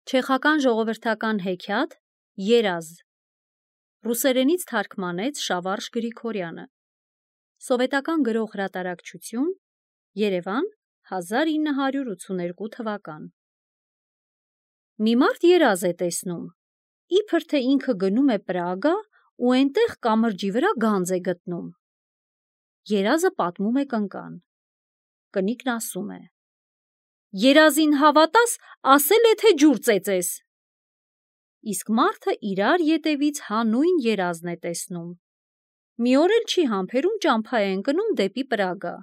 Չեխական ժողովրդական հեքիաթ «Երազ» ռուսերենից թարգմանեց Շավարժ Գրիգորյանը։ Սովետական գրող հրատարակչություն, Երևան, 1982 թվական։ Մի մարդ երազ է տեսնում, իբր թե ինքը գնում է Պրագա ու էնտեղ կամրջի վրա գանձ է գտնում։ Երազը պատմում է կնկան։ Կնիկն ասում է. «Երազին հավատաս, ասել է, թե ջուր ծեծես»։ Իսկ մարդը իրար ետևից հանուն երազն է տեսնում։ Մի օր էլ չի համբերում ճամփա է ընկնում դեպի Պրագա։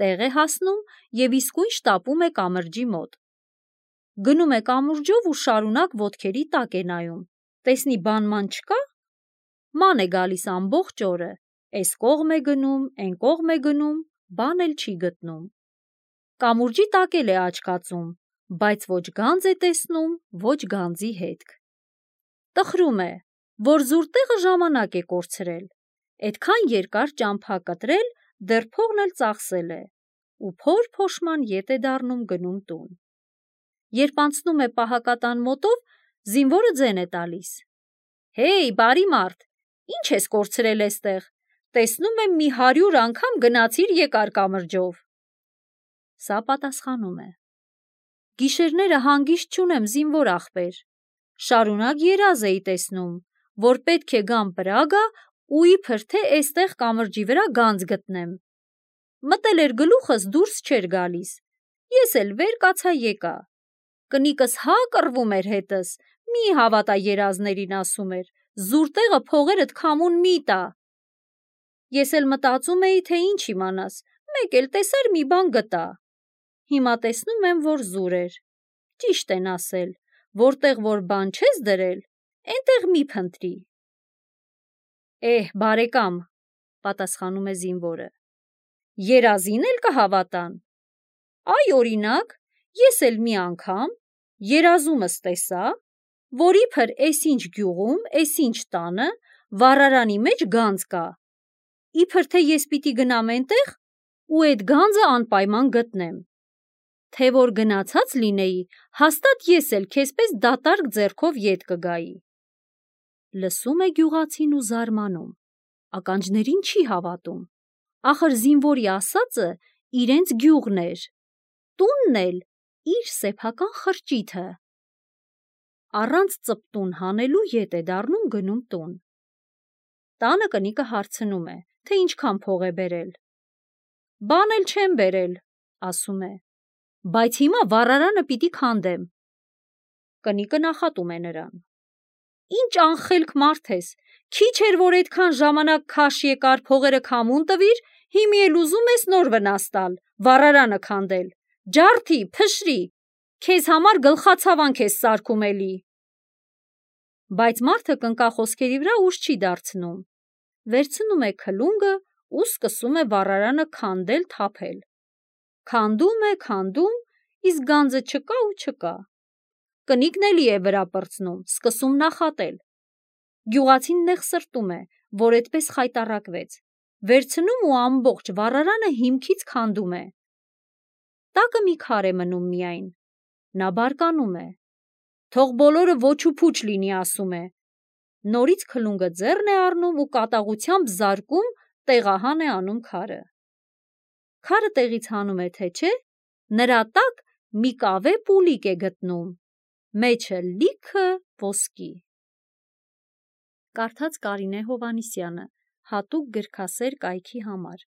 Տեղ է հասնում և իսկույն շտապում է կամրջի մոտ։ Գնում է կամուրջով ու շարունակ ոտքերի տակ է նայում, տեսնի բանման չկա, ման է գալիս ամբողջ օրը, էս կողմ է գնում, էն կողմ է գնում, բան էլ չի գտնում։ Կամուրջի տակ էլ է աչքածում, բայց ոչ գանձ է տեսնում, ոչ գանձի հետք։ Տխրում է, որ զուր տեղը ժամանակ է կորցրել, էդքան երկար ճամփա կտրել, դեռ փողն էլ ծախսել է, ու փոր-փոշման ետ է դառնում գնում տուն։ Երբ անցնում է պահակատան մոտով, զինվորը ձեն է տալիս. «Հեյ, բարի մարդ, ինչ ես կորցրել էստեղ, տեսնում եմ մի 100 անգամ գնացիր եկար կամրջով»։ Սա պատասխանում է. «Գիշերները հանգիստ չունեմ, զինվոր ախպեր, շարունակ երազ էի տեսնում, որ պետք է գամ Պրագա ու իբր թե էստեղ կամրջի վրա գանձ գտնեմ։ Մտել էր գլուխս, դուրս չէր գալիս, ես էլ վեր կացա եկա։ Կնիկս հա կռվում էր հետս, մի հավատա երազներին, ասում էր, զուր տեղը փողերդ քամուն մի տա։ Ես էլ մտածում էի, թե ինչ իմանաս, մեկ էլ տեսար մի բան գտա։ Հիմա տեսնում եմ, որ զուր էր։ Ճիշտ են ասել, որտեղ որ բան չես դրել, էնտեղ մի փնտրի»։ Բարեկամ, պատասխանում է զինվորը, երազին էլ կհավատան։ Այ օրինակ, ես էլ մի անգամ երազումս տեսա, որ իբր էսինչ գյուղում, էսինչ տանը վառարանի մեջ գանձ կա, իբր թե ես պիտի գնամ էնտեղ ու էդ գանձը անպայման գտնեմ։ Թե որ գնացած լինեի, հաստատ ես էլ քեզպես դատարկ ձեռքով ետ կգայի։ Լսում է գյուղացին ու զարմանում, ականջներին չի հավատում, ախր զինվորի ասածը իրենց գյուղն էր, տունն էլ իր սեփական խրճիթը։ Առանց ծպտուն հանելու ետ է դառնում գնում տուն։ Տանը կնիկը հարցնում է, թե ինչքան փող է բերել։ Բան էլ չեմ բերել, ասում է, բայց հիմա վառարանը պիտի քանդեմ։ Կնիկը նախատում է նրան. Ինչ անխելք մարդ ես, քիչ էր որ այդքան ժամանակ քաշ եկար փողերը քամուն տվիր, հիմի էլ ուզում ես նոր վնաս տալ, վառարանը քանդել, ջարդի, փշրի, քեզ համար գլխացավանք ես սարքում էլի։ Բայց մարդը կնկախոսքերի վրա ուժ չի դարձնում, վերցնում է քլունգը ու սկսում է վառարանը քանդել, թափել։ Քանդում է, իսկ գանձը չկա ու չկա։ Կնիկն էլի է վրա պրծնում, սկսում նախատել։ Գյուղացին նեղսրտում է, որ էդպես խայտառակվեց, վերցնում ու ամբողջ վառարանը հիմքից քանդում է։ Տակը մի քար է մնում միայն։ Նա բարկանում է։ Թող բոլորը ոչ ու փուչ լինի, ասում է։ Նորից քլունգը ձեռն է առնում ու կատաղությամբ զարկում, տեղահան է անում քարը։ Քարը տեղից հանում է, թե չէ, նրա տակ մի կավե պուլիկ է գտնում, մեջը լիքը ոսկի։ Կարդաց Կարինե Հովհաննիսյանը, հատուկ գրքասեր կայքի համար։